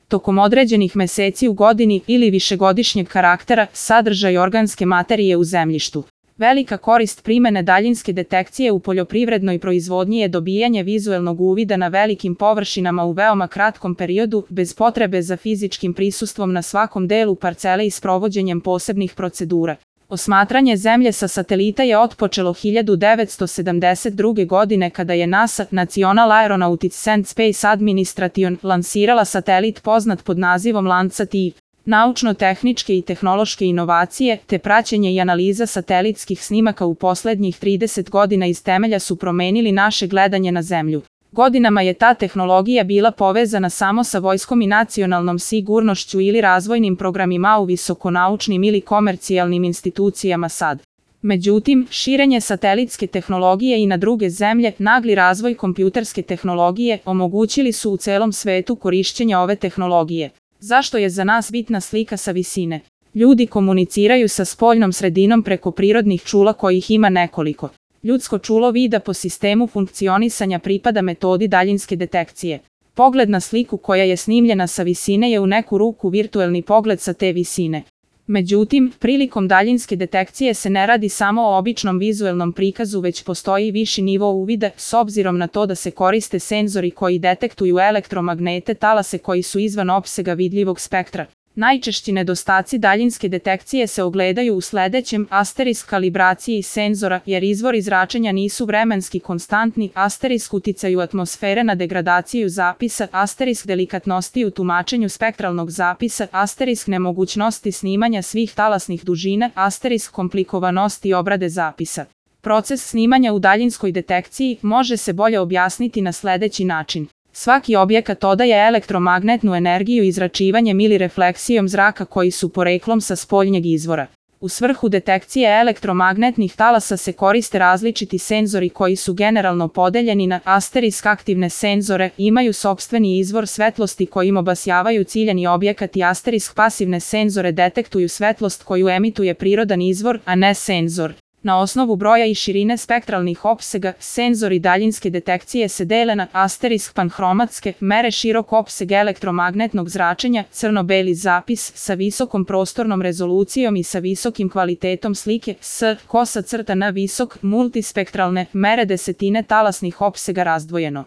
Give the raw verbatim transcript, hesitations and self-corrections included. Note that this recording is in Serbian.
tokom određenih meseci u godini ili višegodišnjeg karaktera, sadržaj organske materije u zemljištu. Velika korist primene daljinske detekcije u poljoprivrednoj proizvodnji je dobijanje vizuelnog uvida na velikim površinama u veoma kratkom periodu, bez potrebe za fizičkim prisustvom na svakom delu parcele i sprovođenjem posebnih procedura. Osmatranje Zemlje sa satelita je otpočelo hiljadu devetsto sedamdeset druge. godine kada je NASA, National Aeronautics and Space Administration, lansirala satelit poznat pod nazivom Landsat I. Naučno-tehničke i tehnološke inovacije, te praćenje i analiza satelitskih snimaka u poslednjih trideset godina iz temelja su promenili naše gledanje na Zemlju. Godinama je ta tehnologija bila povezana samo sa vojskom i nacionalnom sigurnošću ili razvojnim programima u visokonaučnim ili komercijalnim institucijama sad. Međutim, širenje satelitske tehnologije i na druge zemlje, nagli razvoj kompjuterske tehnologije, omogućili su u celom svetu korišćenje ove tehnologije. Zašto je za nas bitna slika sa visine? Ljudi komuniciraju sa spoljnom sredinom preko prirodnih čula kojih ima nekoliko. Ljudsko čulo vida po sistemu funkcionisanja pripada metodi daljinske detekcije. Pogled na sliku koja je snimljena sa visine je u neku ruku virtuelni pogled sa te visine. Međutim, prilikom daljinske detekcije se ne radi samo o običnom vizuelnom prikazu, već postoji viši nivo uvida, s obzirom na to da se koriste senzori koji detektuju elektromagnete talase koji su izvan opsega vidljivog spektra. Najčešći nedostaci daljinske detekcije se ogledaju u sledećem: asterisk kalibraciji senzora, jer izvori zračenja nisu vremenski konstantni, asterisk uticaju atmosfere na degradaciju zapisa, asterisk delikatnosti u tumačenju spektralnog zapisa, asterisk nemogućnosti snimanja svih talasnih dužina, asterisk komplikovanosti obrade zapisa. Proces snimanja u daljinskoj detekciji može se bolje objasniti na sledeći način. Svaki objekat odaje elektromagnetnu energiju izračivanjem ili refleksijom zraka koji su poreklom sa spoljnjeg izvora. U svrhu detekcije elektromagnetnih talasa se koriste različiti senzori koji su generalno podeljeni na asterisk aktivne senzore, imaju sopstveni izvor svetlosti kojim obasjavaju ciljani objekat, i asterisk pasivne senzore detektuju svetlost koju emituje prirodan izvor, a ne senzor. Na osnovu broja i širine spektralnih opsega, senzori daljinske detekcije se dele na asterisk panhromatske, mere širok opseg elektromagnetnog zračenja, crno-beli zapis sa visokom prostornom rezolucijom i sa visokim kvalitetom slike, s, kosa crta na visok, multispektralne, mere desetine talasnih opsega razdvojeno.